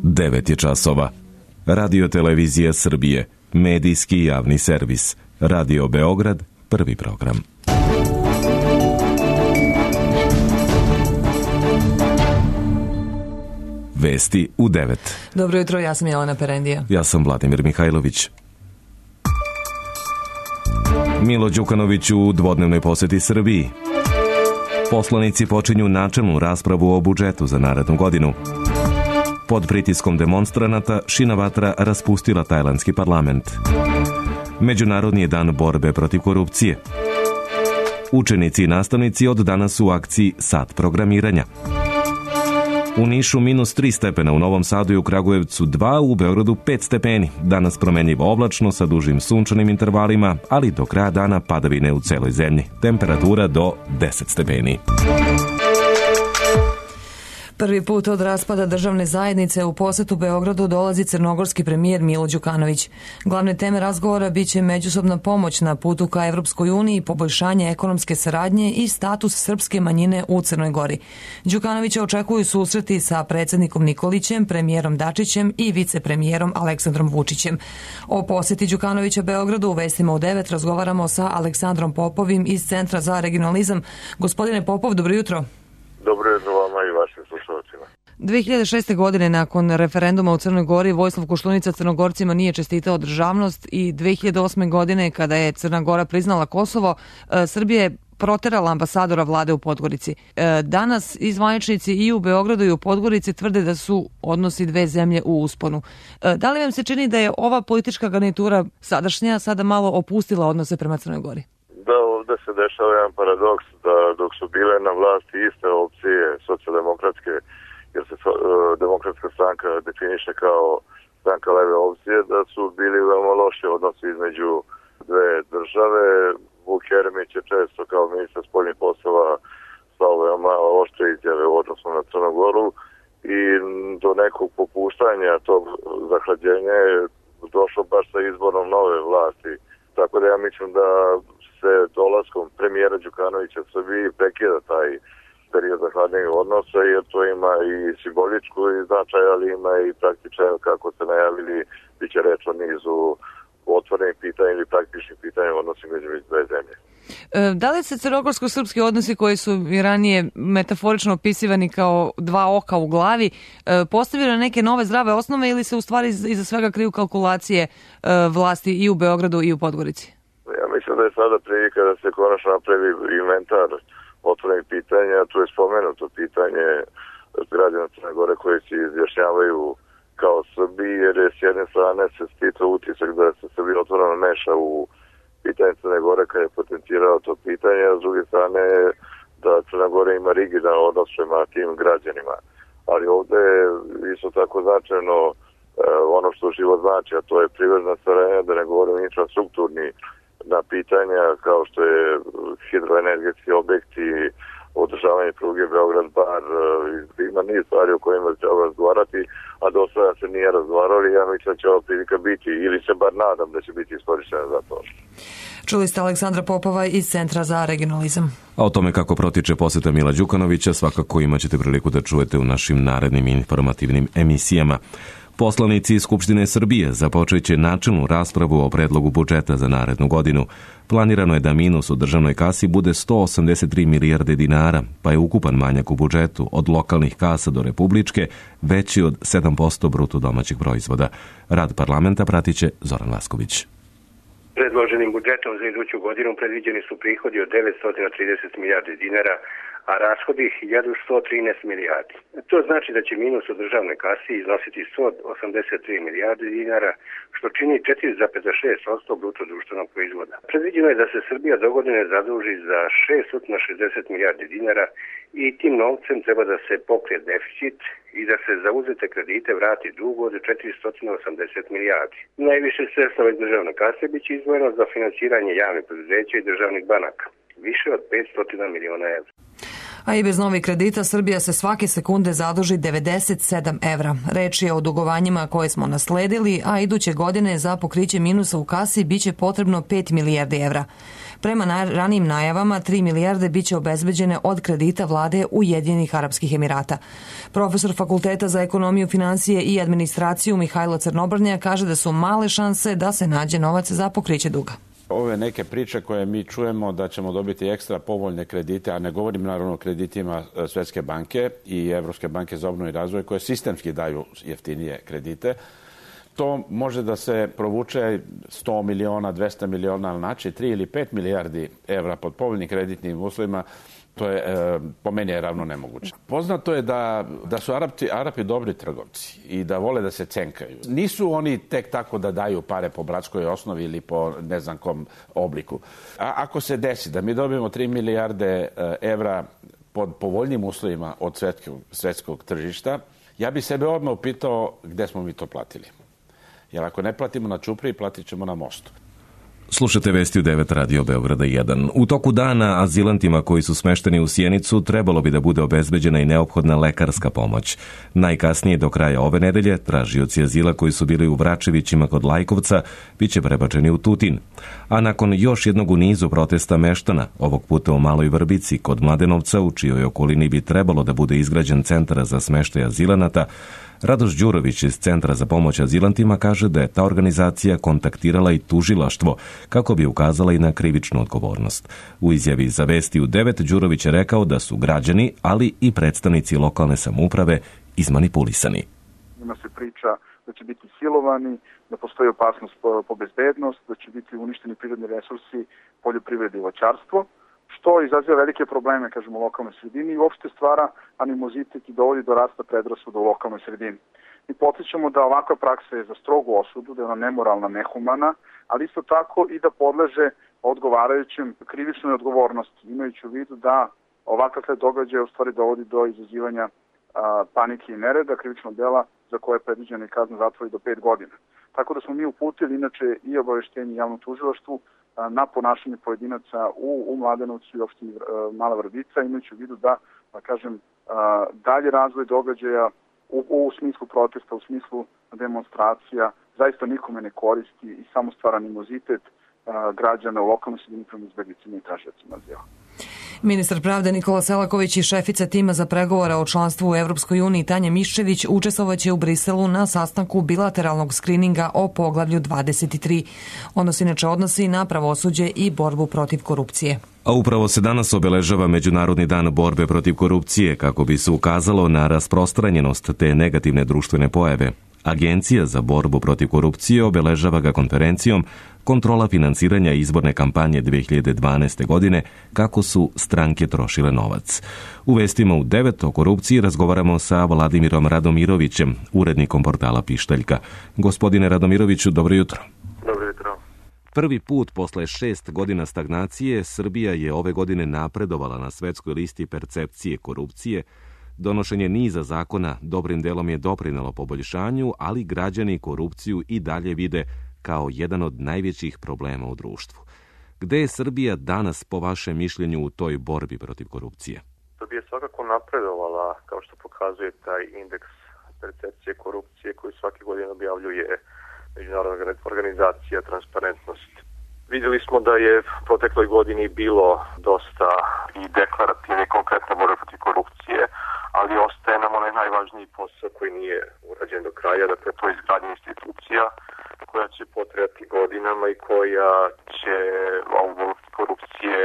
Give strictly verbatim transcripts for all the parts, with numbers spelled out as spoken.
devet je časova. Radio Televizija Srbije, medijski javni servis. Radio Beograd, prvi program. Vesti u devet. Dobro jutro, ja sam Jelena Perendija. Ja sam Vladimir Mihajlović. Milo Đukanović u dvodnevnoj poseti Srbiji. Poslanici počinju načelnu raspravu o budžetu za narednu godinu. Pod pritiskom demonstranata Šina Vatra raspustila tajlandski parlament. Međunarodni je dan borbe protiv korupcije. Učenici i nastavnici od danas u akciji Sat programiranja. U Nišu minus tri stepena, u Novom Sadu i u Kragujevcu dva, u Beogradu pet stepeni. Danas promenljivo oblačno sa dužim sunčanim intervalima, ali do kraja dana padavine u celoj zemlji. Temperatura do deset stepeni. Prvi put od raspada državne zajednice u posetu Beogradu dolazi crnogorski premijer Milo Đukanović. Glavne teme razgovora biće međusobna pomoć na putu ka Evropskoj uniji, poboljšanje ekonomske saradnje i status srpske manjine u Crnoj Gori. Đukanovića očekuju susreti sa predsjednikom Nikolićem, premijerom Dačićem i vicepremijerom Aleksandrom Vučićem. O poseti Đukanovića Beogradu u vestima u devet razgovaramo sa Aleksandrom Popovim iz Centra za regionalizam. Gospodine Popov, dobro jutro. Dobro jutro vama i vašim slušalcima. dve hiljade šeste. godine nakon referenduma u Crnoj Gori Vojislav Koštunica Crnogorcima nije čestitao državnost i dve hiljade osme. godine kada je Crna Gora priznala Kosovo, Srbija je proterala ambasadora vlade u Podgorici. Danas izvaničnici i u Beogradu i u Podgorici tvrde da su odnosi dve zemlje u usponu. Da li vam se čini da je ova politička garnitura sadašnja sada malo opustila odnose prema Crnoj Gori? Da, ovdje se dešava jedan paradoks da dok su bile na vlasti iste opcije socijaldemokratske, jer se uh, demokratska stranka definiše kao stranka leve opcije, da su bili veoma loši odnosi između dve države. Vuk Jeremić je često kao ministar spoljnih poslova stao veoma oštre izjave u odnosu na Crnu Goru i do nekog popuštanja tog zahlađenja je došlo baš sa izborom nove vlasti. Tako da ja mislim da se dolaskom premijera Đukanovića u Srbiji prekida taj period zahladnijeg odnosa, jer to ima i simboličku značaj, ali ima i praktičan, kako ste najavili, bit će reč o nizu otvorenih pitanja ili praktičnih pitanja u odnosu među dve zemlje. Da li se crnogorsko-srpski odnosi koji su i ranije metaforično opisivani kao dva oka u glavi postavili na neke nove zdrave osnove ili se u stvari iza svega kriju kalkulacije vlasti i u Beogradu i u Podgorici? Ja mislim da je sada prilika da se konačno napravi inventar otvorenih pitanja. Tu je spomenuto pitanje građana Crne Gore koji se izjašnjavaju kao Srbi, jer je s jedne strane se stica utisak da se Srbija otvoreno meša u pitanje Crne Gore kad je potencirao to pitanje, a s druge strane da Crna Gora ima rigidan odnos prema tim građanima. Ali ovdje je isto tako značajno eh, ono što život znači, a to je privredna saradnja, da ne govorim infrastrukturni na pitanja kao što je hidroenergetski objekti, održavanje pruge Beograd-Bar, ima niz stvari o kojima treba razgovarati, a do sada se nije razgovarali. Ja mislim da će ova prilika biti, ili se bar nadam da će biti iskorištena za to. Čuli ste Aleksandra Popova iz Centra za regionalizam. A o tome kako protiče poseta Mila Đukanovića svakako imat ćete priliku da čujete u našim narednim informativnim emisijama. Poslanici Skupštine Srbije započeće načelnu raspravu o predlogu budžeta za narednu godinu. Planirano je da minus u državnoj kasi bude sto osamdeset tri milijarde dinara, pa je ukupan manjak u budžetu od lokalnih kasa do republičke veći od sedam posto bruto domaćeg proizvoda. Rad parlamenta pratiće Zoran Vasković. Predloženim budžetom za iduću godinu predviđeni su prihodi od devetsto trideset milijardi dinara, a rashodi hiljadu sto trinaest milijardi. To znači da će minus u državnoj kasi iznositi sto osamdeset tri milijarde dinara, što čini četiri zarez šest posto bruto društvenog proizvoda. Predviđeno je da se Srbija do godine zaduži za šeststo šezdeset milijardi dinara i tim novcem treba da se pokrije deficit i da se za uzete kredite vrati dug od četiristo osamdeset milijardi. Najviše sredstava iz državne kase biće izdvojeno za finansiranje javnih preduzeća i državnih banaka, više od petsto miliona evra. A i bez novih kredita Srbija se svake sekunde zaduži devedeset sedam evra. Reč je o dugovanjima koje smo nasledili, a iduće godine za pokriće minusa u kasi biće potrebno pet milijardi evra. Prema ranijim najavama, tri milijarde biće obezbeđene od kredita vlade Ujedinjenih Arapskih Emirata. Profesor Fakulteta za ekonomiju, finansije i administraciju Mihajlo Crnobrnja kaže da su male šanse da se nađe novac za pokriće duga. Ove neke priče koje mi čujemo da ćemo dobiti ekstra povoljne kredite, a ne govorim naravno o kreditima Svetske banke i Evropske banke za obnovu i razvoj koje sistemski daju jeftinije kredite, to može da se provuče sto miliona, dvesta miliona, znači tri ili pet milijardi evra pod povoljnim kreditnim uslovima. To je, e, po meni je ravno nemoguće. Poznato je da, da su Arapi, Arapi dobri trgovci i da vole da se cenkaju. Nisu oni tek tako da daju pare po bratskoj osnovi ili po ne znam kom obliku. A ako se desi da mi dobijemo tri milijarde evra pod povoljnim uslovima od svetskog, svetskog tržišta, ja bi sebe odmah upitao gde smo mi to platili. Jer ako ne platimo na Ćupriji, platit ćemo na mostu. Slušate vesti u devet Radio Beograda jedan. U toku dana azilantima koji su smešteni u Sjenicu trebalo bi da bude obezbeđena i neophodna lekarska pomoć. Najkasnije do kraja ove nedelje tražioci azila koji su bili u Vračevićima kod Lajkovca biće prebačeni u Tutin. A nakon još jednog u nizu protesta meštana, ovog puta u Maloj Vrbici kod Mladenovca, u čijoj okolini bi trebalo da bude izgrađen centar za smeštaj azilanata, Radoš Đurović iz Centra za pomoć azilantima kaže da je ta organizacija kontaktirala i tužilaštvo kako bi ukazala i na krivičnu odgovornost. U izjavi za Vesti u devet Đurović je rekao da su građani, ali i predstavnici lokalne samouprave izmanipulisani. Ima se priča da će biti silovani, da postoji opasnost po bezbednost, da će biti uništeni prirodni resursi, poljoprivrede i voćarstvo, što izaziva velike probleme, kažemo, u lokalnoj sredini i uopšte stvara animozitet i dovodi do rasta predrasuda u lokalnoj sredini. Mi podsjećamo da ovakva praksa je za strogu osudu, da je ona nemoralna, nehumana, ali isto tako i da podleže odgovarajućem krivičnoj odgovornosti, imajući u vidu da ovakav sled događaja u stvari dovodi do izazivanja a, panike i nereda, krivičnog dela za koje je predviđena i kazna zatvora do pet godina. Tako da smo mi uputili inače i obaveštenje javnom tužilaštvu na ponašanje pojedinaca u, u Mladenovcu i opštini Mala Vrbica, imajući u vidu da, da kažem, dalje razvoj događaja u, u smislu protesta, u smislu demonstracija, zaista nikome ne koristi i samo stvara animozitet građana u lokalnoj sredini prema izbeglicima i tražiocima azila. Ministar pravde Nikola Selaković i šefica tima za pregovore o članstvu u Evropskoj uniji Tanja Miščević učestvovaće u Briselu na sastanku bilateralnog skrininga o poglavlju dvadeset tri. Ono se inače odnosi na pravosuđe i borbu protiv korupcije. A upravo se danas obeležava Međunarodni dan borbe protiv korupcije kako bi se ukazalo na rasprostranjenost te negativne društvene pojave. Agencija za borbu protiv korupcije obeležava ga konferencijom Kontrola finansiranja izborne kampanje dve hiljade dvanaeste. godine, kako su stranke trošile novac. U vestima u devet o korupciji razgovaramo sa Vladimirom Radomirovićem, urednikom portala Pištaljka. Gospodine Radomiroviću, dobro jutro. Dobro jutro. Prvi put posle šest godina stagnacije Srbija je ove godine napredovala na svetskoj listi percepcije korupcije. Donošenje niza zakona dobrim delom je doprinelo poboljšanju, ali građani korupciju i dalje vide kao jedan od najvećih problema u društvu. Gde je Srbija danas po vašem mišljenju u toj borbi protiv korupcije? Srbija je svakako napredovala, kao što pokazuje taj indeks percepcije korupcije koji svake godine objavljuje Međunarodna organizacija Transparentnost. Vidjeli smo da je u protekloj godini bilo dosta i deklarativne i konkretne borbe protiv korupcije, ali ostaje nam onaj najvažniji posao koji nije urađen do kraja, dakle to je izgradnja institucija koja će potrebati godinama i koja će ovu borbu protiv korupcije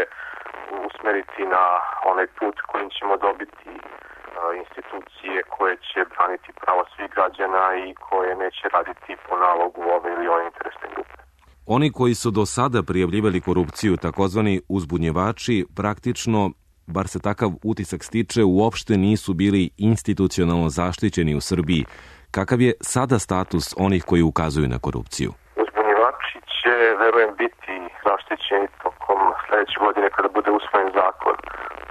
usmeriti na onaj put kojim ćemo dobiti institucije koje će braniti prava svih građana i koje neće raditi po nalogu ove ili ove interesne grupe. Oni koji su do sada prijavljivali korupciju, takozvani uzbunjevači, praktično, bar se takav utisak stiče, uopšte nisu bili institucionalno zaštićeni u Srbiji. Kakav je sada status onih koji ukazuju na korupciju? Uzbunjevači će, verujem, biti zaštićeni tokom sledeće godine kada bude usvojen zakon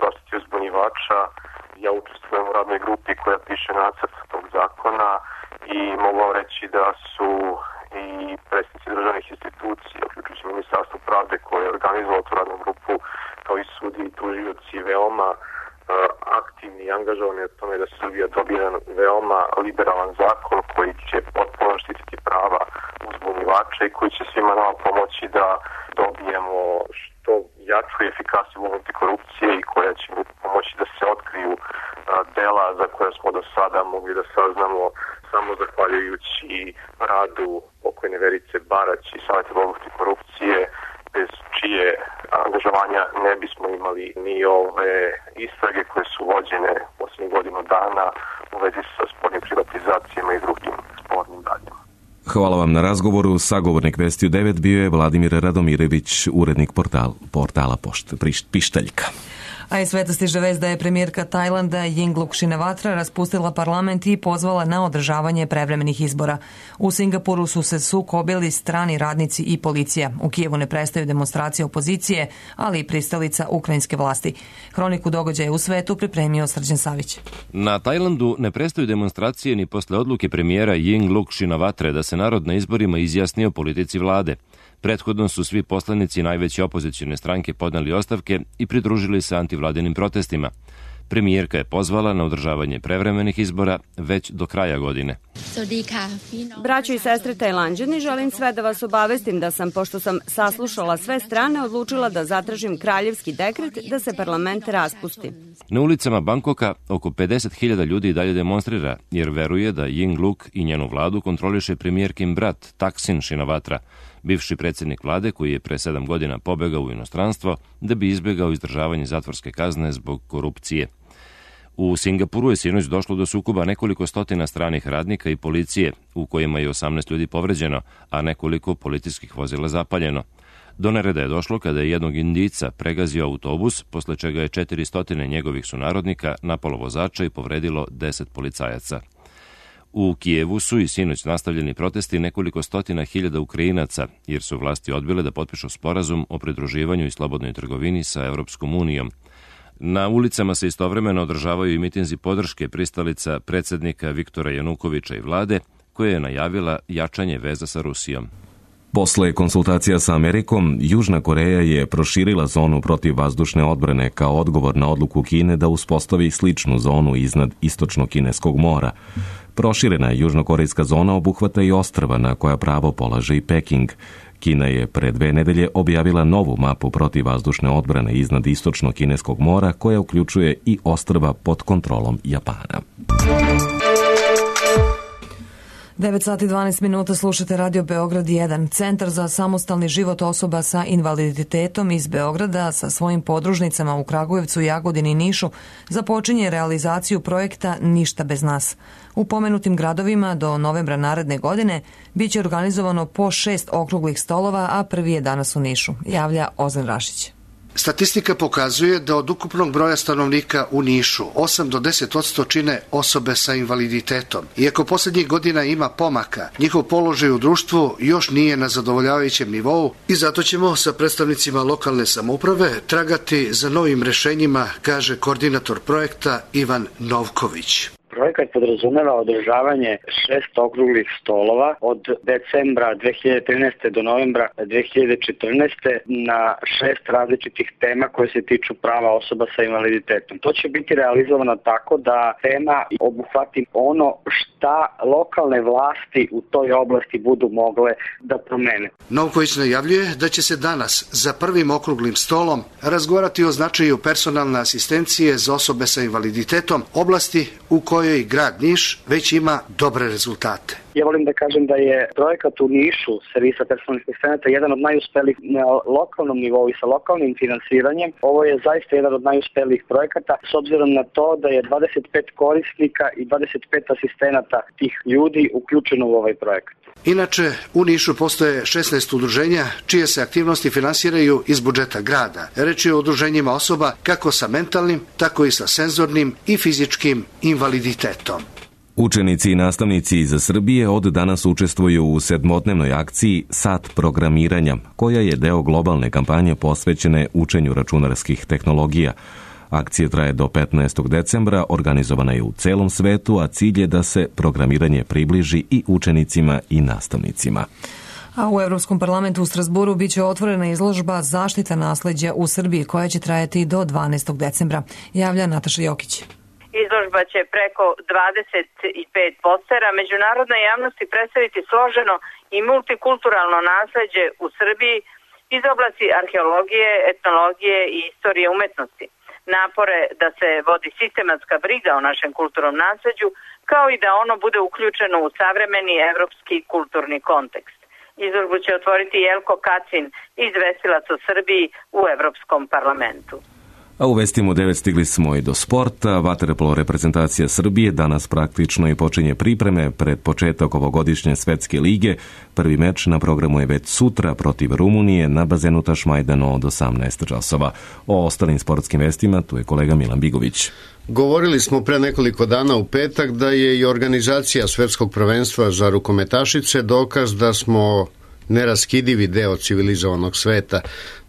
zaštiti uzbunjevača. Ja učestvujem u radnoj grupi koja piše nacrt tog zakona i mogu vam reći da su i predstavnici državnih institucija, uključujući Ministarstvo pravde koje je organizovalo tu radnu grupu, kao i sudi i tužioci veoma uh, aktivni i angažovani u tome da Srbija dobije jedan veoma liberalan zakon koji će potpuno štititi prava uzbunjivača i koji će svima nama pomoći da dobijemo što brojču i efikasniju borbu protiv korupcije i koja će pomoći da se otkriju dela za koje smo do sada mogli da saznamo samo zahvaljujući radu pokojne Verice Barać i Saveta borbe protiv korupcije, bez čije angažovanja ne bismo imali ni ove istrage koje su vođene posljednjih godinu dana u vezi sa spornim privatizacijama i drugim spornim radnjama. Hvala vam na razgovoru. Sagovornik Vesti u devet bio je Vladimir Radomirević, urednik portal, portala Pošt, Pištaljka. A iz sveta stiže vest da je premijerka Tajlanda Yingluck Shinawatra raspustila parlament i pozvala na održavanje prevremenih izbora. U Singapuru su se sukobili strani radnici i policija. U Kijevu ne prestaju demonstracije opozicije, ali i pristalica ukrajinske vlasti. Hroniku događaja u svetu pripremio Srđan Savić. Na Tajlandu ne prestaju demonstracije ni posle odluke premijera Yingluck Shinawatre da se narod na izborima izjasni o politici vlade. Prethodno su svi poslanici najveće opozicione stranke podneli ostavke i pridružili se antivladinim protestima. Premijerka je pozvala na održavanje prevremenih izbora već do kraja godine. Braćo i sestre Tajlanđani, želim sve da vas obavestim da sam, pošto sam saslušala sve strane, odlučila da zatražim kraljevski dekret da se parlament raspusti. Na ulicama Bangkoka oko pedeset hiljada ljudi dalje demonstrira, jer veruje da Yingluck i njenu vladu kontroliše premijerkin brat Thaksin Shinawatra, bivši predsjednik vlade koji je pre sedam godina pobegao u inostranstvo da bi izbjegao izdržavanje zatvorske kazne zbog korupcije. U Singapuru je sinoć došlo do sukoba nekoliko stotina stranih radnika i policije, u kojima je osamnaest ljudi povređeno, a nekoliko policijskih vozila zapaljeno. Do nereda je došlo kada je jednog Indijca pregazio autobus, posle čega je četiristo njegovih sunarodnika napalo vozača i povredilo deset policajaca. U Kijevu su i sinoć nastavljeni protesti nekoliko stotina hiljada Ukrajinaca, jer su vlasti odbile da potpišu sporazum o pridruživanju i slobodnoj trgovini sa Evropskom unijom. Na ulicama se istovremeno održavaju i mitinzi podrške pristalica predsjednika Viktora Janukoviča i vlade, koja je najavila jačanje veza sa Rusijom. Posle konsultacija sa Amerikom, Južna Koreja je proširila zonu protivvazdušne odbrane kao odgovor na odluku Kine da uspostavi sličnu zonu iznad istočno-kineskog mora. Proširena južnokorejska zona obuhvata i ostrva na koja pravo polaže i Peking. Kina je pre dve nedelje objavila novu mapu protivvazdušne odbrane iznad istočno-kineskog mora koja uključuje i ostrva pod kontrolom Japana. devet sati i dvanaest minuta slušate Radio Beograd jedan. Centar za samostalni život osoba sa invaliditetom iz Beograda sa svojim podružnicama u Kragujevcu, Jagodini i Nišu započinje realizaciju projekta Ništa bez nas. U pomenutim gradovima do novembra naredne godine biće organizovano po šest okruglih stolova, a prvi je danas u Nišu, javlja Ozan Rašić. Statistika pokazuje da od ukupnog broja stanovnika u Nišu osam do deset posto čine osobe sa invaliditetom. Iako posljednjih godina ima pomaka, njihov položaj u društvu još nije na zadovoljavajućem nivou i zato ćemo sa predstavnicima lokalne samouprave tragati za novim rešenjima, kaže koordinator projekta Ivan Novković. Projekat podrazumeva održavanje šest okruglih stolova od decembra dve hiljade trinaeste. do novembra dve hiljade četrnaeste. na šest različitih tema koje se tiču prava osoba sa invaliditetom. To će biti realizovano tako da tema obuhvati ono šta lokalne vlasti u toj oblasti budu mogle da promene. Novković najavljuje da će se danas za prvim okruglim stolom razgovarati o značaju personalne asistencije za osobe sa invaliditetom, oblasti u kojoj i grad Niš već ima dobre rezultate. Ja volim da kažem da je projekat u Nišu servisa personalnih asistenata jedan od najuspelijih na lokalnom nivou i sa lokalnim finansiranjem. Ovo je zaista jedan od najuspelijih projekata s obzirom na to da je dvadeset pet korisnika i dvadeset pet asistenata tih ljudi uključeno u ovaj projekat. Inače, u Nišu postoje šesnaest udruženja čije se aktivnosti finansiraju iz budžeta grada. Reč je o udruženjima osoba kako sa mentalnim, tako i sa senzornim i fizičkim invaliditetom. Učenici i nastavnici iz Srbije od danas učestvuju u sedmodnevnoj akciji Sat programiranja, koja je deo globalne kampanje posvećene učenju računarskih tehnologija. Akcija traje do petnaestog decembra, organizovana je u celom svetu, a cilj je da se programiranje približi i učenicima i nastavnicima. A u Evropskom parlamentu u Strasburu biće otvorena izložba Zaštita nasleđa u Srbiji, koja će trajati do dvanaestog decembra, javlja Nataša Jokić. Izložba će preko dvadeset pet postera međunarodnoj javnosti predstaviti složeno i multikulturalno nasleđe u Srbiji, iz oblasti arheologije, etnologije i istorije umetnosti. Napore da se vodi sistematska briga o našem kulturnom nasleđu, kao i da ono bude uključeno u savremeni evropski kulturni kontekst. Izložbu će otvoriti Jelko Kacin, izvestilac o Srbiji u Evropskom parlamentu. A u vestima u devet stigli smo i do sporta. Vaterpolo reprezentacija Srbije danas praktično i počinje pripreme pred početak ovogodišnje svetske lige. Prvi meč na programu je već sutra protiv Rumunije na bazenu Tašmajdano od osamnaest časova. O ostalim sportskim vestima tu je kolega Milan Bigović. Govorili smo pre nekoliko dana u petak da je i organizacija svetskog prvenstva za rukometašice dokaz da smo neraskidivi deo civilizovanog sveta.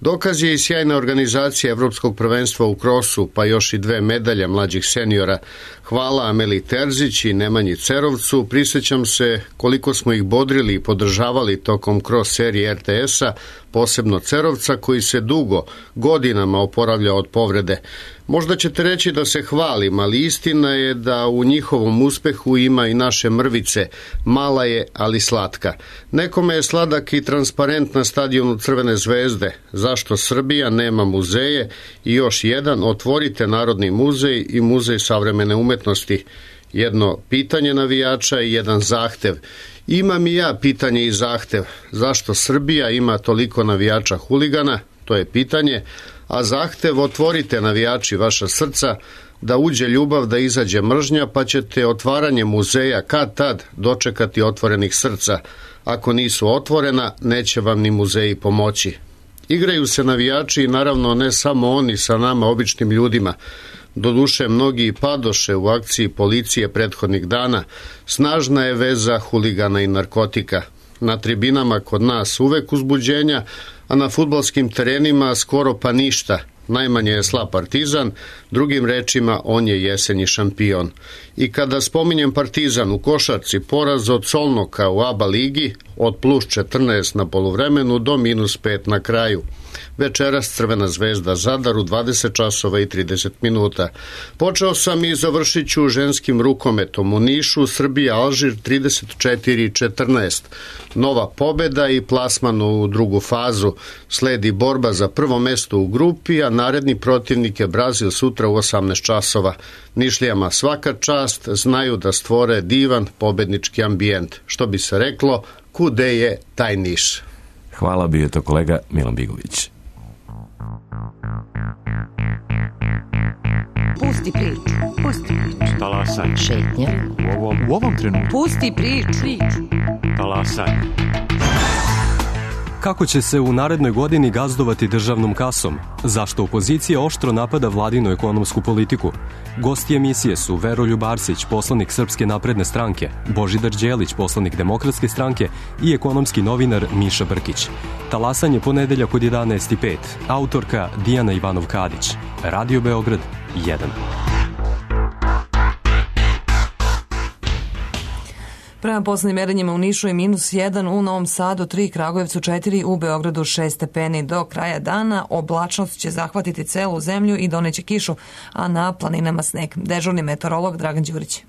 Dokaz je i sjajna organizacija Evropskog prvenstva u krosu, pa još i dve medalje mlađih seniora. Hvala Ameli Terzić i Nemanji Cerovcu. Prisjećam se koliko smo ih bodrili i podržavali tokom kros serije er te es-a, posebno Cerovca koji se dugo, godinama oporavlja od povrede. Možda ćete reći da se hvalim, ali istina je da u njihovom uspehu ima i naše mrvice. Mala je, ali slatka. Nekome je sladak i transparent na stadionu Crvene zvezde. Zašto Srbija nema muzeje? I još jedan, otvorite Narodni muzej i Muzej savremene umetnosti. Jedno pitanje navijača i jedan zahtev. Imam i ja pitanje i zahtev. Zašto Srbija ima toliko navijača huligana? To je pitanje. A zahtev, otvorite navijači vaša srca, da uđe ljubav, da izađe mržnja, pa ćete otvaranje muzeja kad tad dočekati otvorenih srca. Ako nisu otvorena, neće vam ni muzeji pomoći. Igraju se navijači i naravno ne samo oni sa nama običnim ljudima. Doduše mnogi padoše u akciji policije prethodnih dana. Snažna je veza huligana i narkotika. Na tribinama kod nas uvek uzbuđenja, a na fudbalskim terenima skoro pa ništa. Najmanje je slab Partizan, drugim rečima on je jesenji šampion. I kada spominjem Partizan u košarci, poraz od Solnoka u A B A ligi od plus četrnaest na poluvremenu do minus pet na kraju. Večeras Crvena zvezda Zadar u dvadeset časova i trideset minuta. Počeo sam i završit ću ženskim rukometom u Nišu, Srbija Alžir trideset četiri četrnaest. Nova pobeda i plasman u drugu fazu. Sledi borba za prvo mesto u grupi, a naredni protivnik je Brazil sutra u osamnaest časova. Nišlijama svaka čast, znaju da stvore divan pobednički ambijent. Što bi se reklo, kude je taj Niš? Hvala, bio je to kolega Milan Bigović. Pusti priču. Pusti priču. Talasaj. Šetnja. U ovom, u ovom trenutku. Pusti priču. priču. Talasaj. Kako će se u narednoj godini gazdovati državnom kasom? Zašto opozicija oštro napada vladinu ekonomsku politiku? Gosti emisije su Veroljub Arsić, poslanik Srpske napredne stranke, Božidar Đelić, poslanik Demokratske stranke i ekonomski novinar Miša Brkić. Talasanje ponedeljak od jedanaest i pet. Autorka Dijana Ivanov-Kadić. Radio Beograd jedan. Prema poslednjim merenjima u Nišu je minus jedan, u Novom Sadu tri, Kragujevcu četiri, u Beogradu šest stepeni. Do kraja dana oblačnost će zahvatiti celu zemlju i doneće kišu, a na planinama sneg. Dežurni meteorolog Dragan Đurić.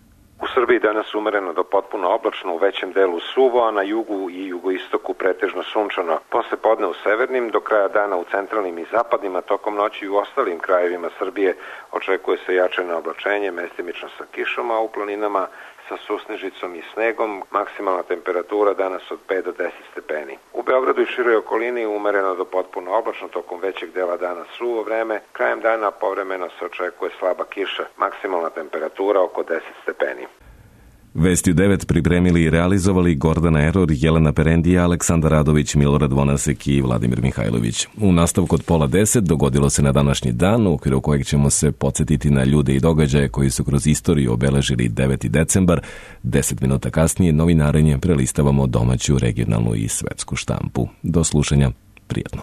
U Srbiji danas umereno do potpuno oblačno, u većem delu suvo, a na jugu i jugoistoku pretežno sunčano. Posle podne u severnim, do kraja dana u centralnim i zapadnim, a tokom noći i u ostalim krajevima Srbije očekuje se jačano oblačenje, mestimično sa kišom, a u planinama sa susnežicom i snegom, maksimalna temperatura danas od pet do deset stepeni. U Beogradu i široj okolini umereno do potpuno oblačno, tokom većeg dela dana suvo vreme, krajem dana povremeno se očekuje slaba kiša, maksimalna temperatura oko deset stepeni. Vesti u devet pripremili i realizovali Gordana Eror, Jelena Perendija, Aleksandar Radović, Milorad Vonasek i Vladimir Mihajlović. U nastavku od pola deset dogodilo se na današnji dan, u okviru kojeg ćemo se podsjetiti na ljude i događaje koji su kroz istoriju obeležili deveti decembar. Deset minuta kasnije novinarenje prelistavamo domaću, regionalnu i svetsku štampu. Do slušanja, prijatno.